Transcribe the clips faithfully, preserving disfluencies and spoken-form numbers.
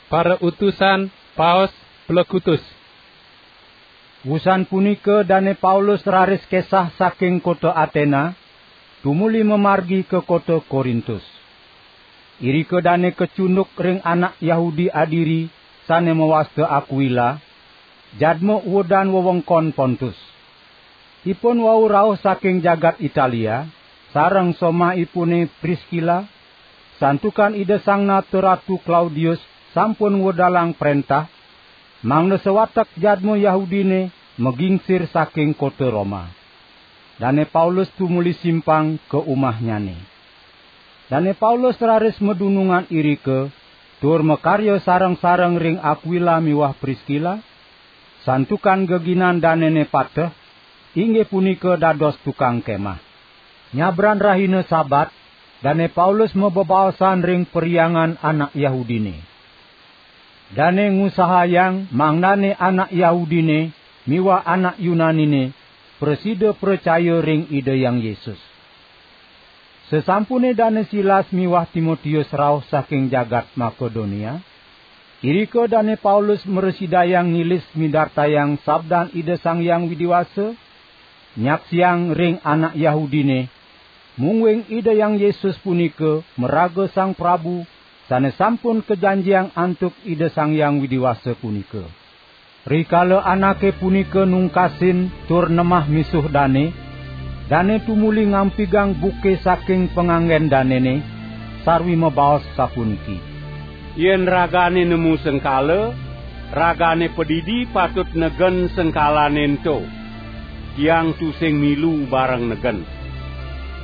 Para utusan Paus Plekutus. Wusan punika Dane Paulus raris kesah saking kota Atena, tumuli mamargi ka kota Korintus. Irika dane kacunduk ring anak Yahudi adiri sane mawasta Akwila, jadma uedan wewengkon Pontus. Ipun wau rauh saking jagat Italia, sareng somahipune Priskila, santukan Ida Sang Nata Ratu Klaudius sampun ngwedalang prentah, mangda sawatek jadma Yahudine magingsir saking kota Roma. Dane Paulus tumuli simpang ka umahnyane. Dane Paulus raris madunungan irika, tur makarya sareng-sareng ring Akwila miwah Priskila, santukan geginan danene pateh, inggih punika dados tukang kemah. Nyabran rahina Sabat, Dane Paulus mabebaosan ring perhyangan anak Yahudine. Dane ngusahayang mangdane anak Yahudine miwah anak Yunanine prasida pracaya ring Ida Hyang Yesus. Sasampune Dane Silas miwah Timotius rauh saking jagat Makedonia, irika Dane Paulus mrasidayang ngilis midartayang sabdan Ida Sang Hyang Widi Wasa, nyaksiang ring anak Yahudine, mungguing Ida Hyang Yesus punika maraga Sang Prabu sane sampun kajanjiang antuk Ida Sang Hyang Widi Wasa punika. Rikala anake punika nungkasin tur nemah misuh dane, dane tumuli ngampigang buke saking panganggen danene, sarwi mabaos sapuniki: "Yen ragane nemu sengkala, ragane padidi patut negen sengkalane ento. Tiang tusing milu bareng negen.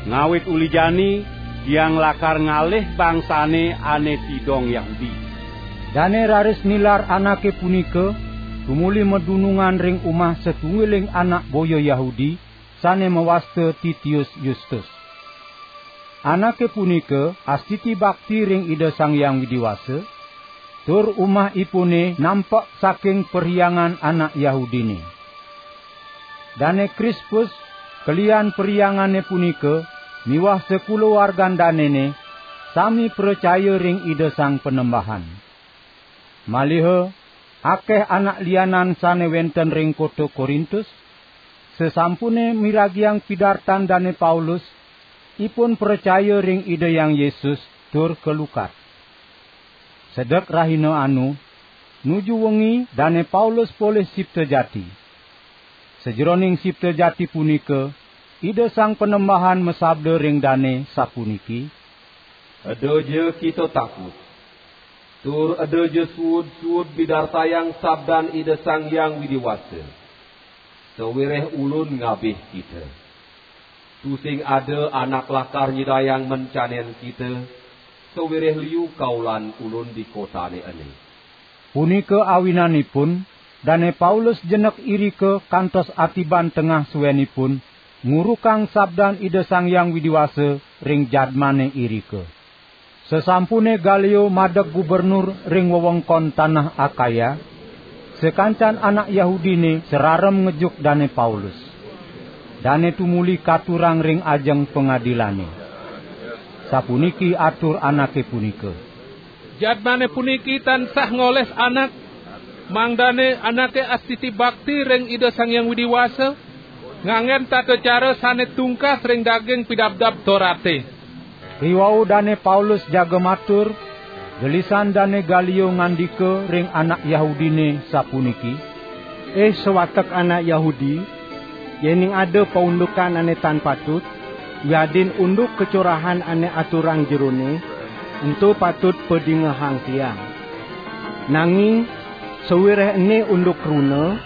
Ngawit uli jani, tiang lakar ngalih bangsane ane tidong Yahudi." Dane raris nilar anake punika, tumuli madunungan ring umah satunggiling anak boya Yahudi, sane mawasta Titius Yustus. Anake punika astiti bakti ring Ida Sang Hyang Widi Wasa, tur umahipune nampek saking perhyangan anak Yahudine. Dane Krispus, kelian perhyangane punika, miwah sakulawargan danene, sami pracaya ring Ida Sang Panembahan. Maliha akeh anak lianan sane wenten ring kota Korintus, sasampune miragiang pidartan Dane Paulus, ipun pracaya ring Ida Hyang Yesus tur kalukat. Sedek rahina anu, nuju wengi Dane Paulus polih sipta jati. Sajeroning sipta jati punika, Ida Sang Panembahan masabda ring dane sapuniki: "Eda ja kita takut, tur eda ja suud-suud midartayang sabdan Ida Sang Hyang Widi Wasa. Sawireh Ulun ngabih kita. Tusing ada anak lakar nyidayang mencanen kita, sawireh liu kaulan Ulun di kotane ene." Punika awinanipun, Dane Paulus jenek irika kantos atiban tengah suenipun, ngurukang sabdan Ida Sang Hyang Widi Wasa ring jadmane irika. Sasampune Galio madeg gubernur ring wewengkon tanah Akaya, sakancan anak Yahudine sararem ngejuk Dane Paulus. Dane tumuli katurang ring ajeng pangadilane. Sapuniki atur anake punika: "Jadmane puniki tansah ngoles anak, mangdane anake astiti bakti ring Ida Sang Hyang Widi Wasa, nganggen tata cara sane tungkas ring daging Pidabdab Torate." Riwau Dane Paulus jaga matur, gelisan Dane Galio ngandika ring anak Yahudine sapuniki: "Ih sawatek anak Yahudi, yening ada paundukan ane tan patut, wiadin unduk kacorahan ane aturang jerone, ento patut padingehang tiang. Nanging sawireh ene unduk kruna,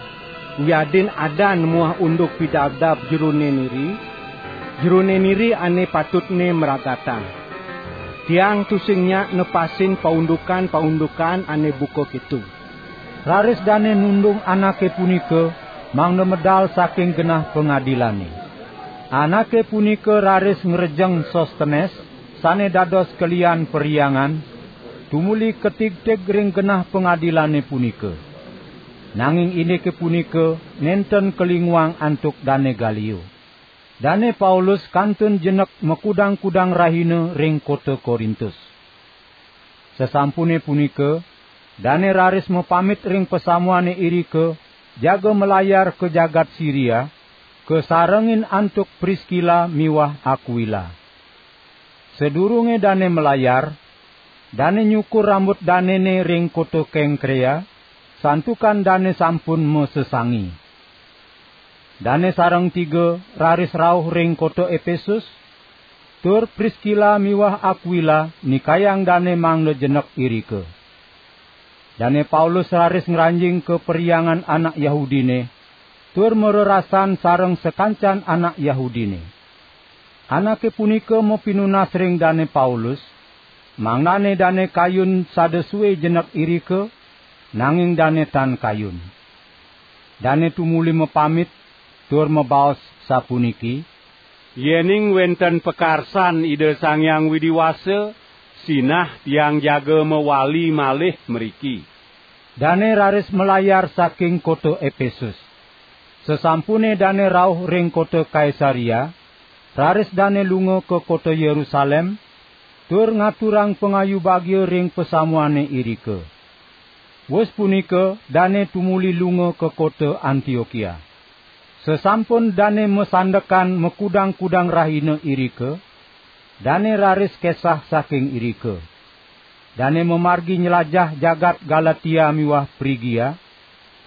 wiadin adan muah unduk pidabdab jerone niri, jerone niri ane patutne mragatang. Tiang tusing nyak nepasin paundukan-paundukan ane buka keto." Raris dane nundung anake punika, mangda medal saking genah pangadilane. Anake punika raris ngrejeng Sostenes, sane dados kelian perhyangan, tumuli katigtig ring genah pangadilane punika. Nanging indike punika nenten kalinguang antuk Dane Galio. Dane Paulus kantun jenek makudang-kudang rahina ring kota Korintus. Sasampune punika, Dane raris mapamit ring pasamuane irika, jaga malayar ka jagat Siria, kasarengin antuk Priskila miwah Akwila. Sadurunge dane malayar, dane nyukur rambut danene ring kota Kengkrea, santukan dane sampun masesangi. Dane sareng tiga raris rauh ring kota Epesus, tur Priskila miwah Akwila nikayang dane mangda jenek irika. Dane Paulus raris ngranjing ka perhyangan anak Yahudine, tur marerasan sareng sakancan anak Yahudine. Anake punika mapinunas ring Dane Paulus, mangdane dane kayun sada sue jenek irika, nanging dane tan kayun. Dane tumuli mapamit, tur mabaos sapuniki: "Yening wenten pakarsan Ida Sang Hyang Widi Wasa, sinah tiang jaga mawali malih mriki." Dane raris malayar saking kota Epesus. Sasampune dane rauh ring kota Kaisaria, raris dane lunga ka kota Yerusalem, tur ngaturang pangayu bagia ring pasamuane irika. Wus punika dane tumuli lunga ka kota Antiokia. Sasampun dane masandekan makudang-kudang rahina irika, dane raris kesah saking irika. Dane mamargi nylajah jagat Galatia miwah Prigia,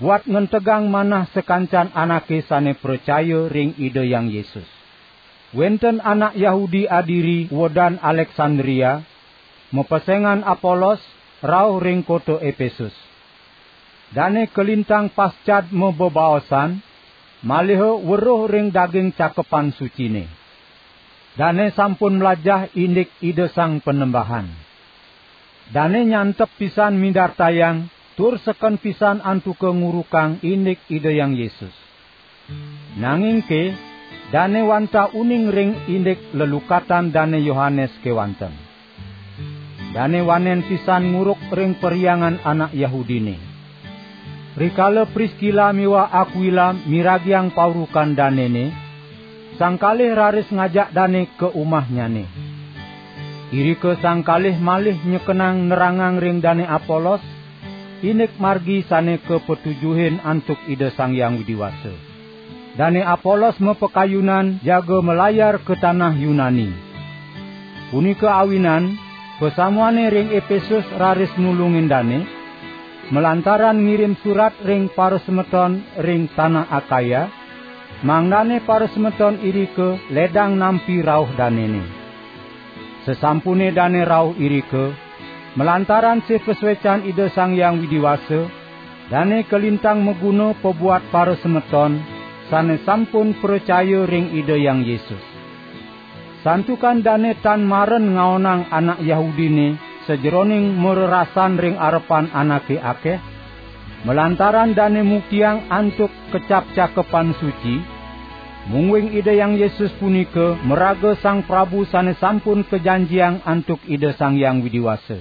buat ngentegang manah sakancan anake sane pracaya ring Ida Hyang Yesus. Wenten anak Yahudi adiri wedan Aleksandria, mapesengan Apolos rauh ring kota Epesus. Dane kalintang pascad mabebaosan, maliha weruh ring daging Cakepan Sucine. Dane sampun mlajah indik Ida Sang Panembahan. Dane nyantep pisan midartayang tur seken pisan antuka ngurukang indik Ida Hyang Yesus. Nanging ke, dane wantah uning ring indik lelukatan Dane Yohanes kewanten. Dane wanen pisan nguruk ring perhyangan anak Yahudine. Rikala Priskila miwah Akwila miragiang paurukan danene, sang kalih raris ngajak dane ka umahnyane. Irika sang kalih malih nyekenang nerangang ring Dane Apolos, indik margi sane kapatujuhin antuk Ida Sang Hyang Widi Wasa. Dane Apolos mapakayunan jaga malayar ka tanah Yunani. Punika awinan, pasamuane ring Epesus raris nulungin dane, malantaran ngirim surat ring parasemeton ring tanah Akaya, mangdane parasemeton irika ledang nampi rauh danene. Sasampune dane rauh irika, malantaran sih pasuecan Ida Sang Hyang Widi Wasa, dane kalintang maguna pabuat parasemeton sane sampun pracaya ring Ida Hyang Yesus. Santukan dane tan maren ngaonang anak Yahudine sajeroning marerasan ring arepan anake akeh, malantaran dane muktiang antuk kecap Cakepan Suci, mungguing Ida Hyang Yesus punika maraga Sang Prabu sane sampun kajanjiang antuk Ida Sang Hyang Widi Wasa.